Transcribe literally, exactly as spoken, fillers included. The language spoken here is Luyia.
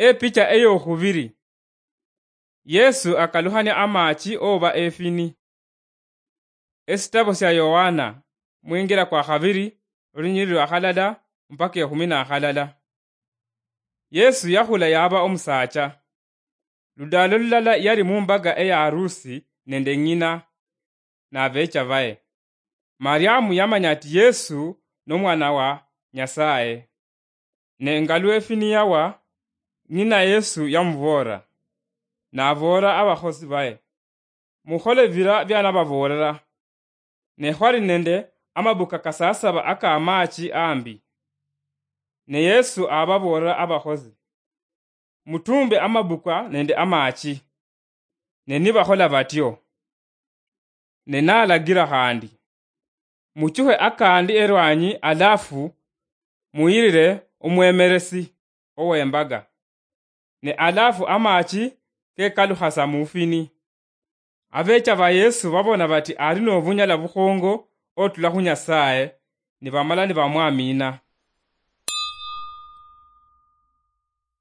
Epicha eyokhubiri. Yesu akalukhania amachi oba efini. Esitabo sia Yohana, mwingira kwa khabiri, olunyiriri lwa khalala mpaka ekhumi na khalala. Yesu yakhula yaba omusaacha. Ludaalo lulala yali mumbaga eya harusi nende ng'ina nabecha baye. Mariamu yamanya ati Yesu nomwana wa Nyasaye. Ne nga lwefini yawa, ng'ina Yesu yamuboolera, naboolera abakhosi baye, "Mukhole bira bianababoolera." Ne khwali nende amabuka kasasaba akamachi ambi. Ne Yesu ababoolera abakhosi, "Mutumbe amabuka nende amachi." Ne nibakhola batyo, ne nalagira khandi, "Muchukhe akandi erwanyi alafu muyirire omwemeresi owembaga." Ne alafu amachi kekalukhasa mufini. Abecha ba Yesu babona bati ari nobunyala bukhongo otula khu Nyasaye, nibamala nibamwamina.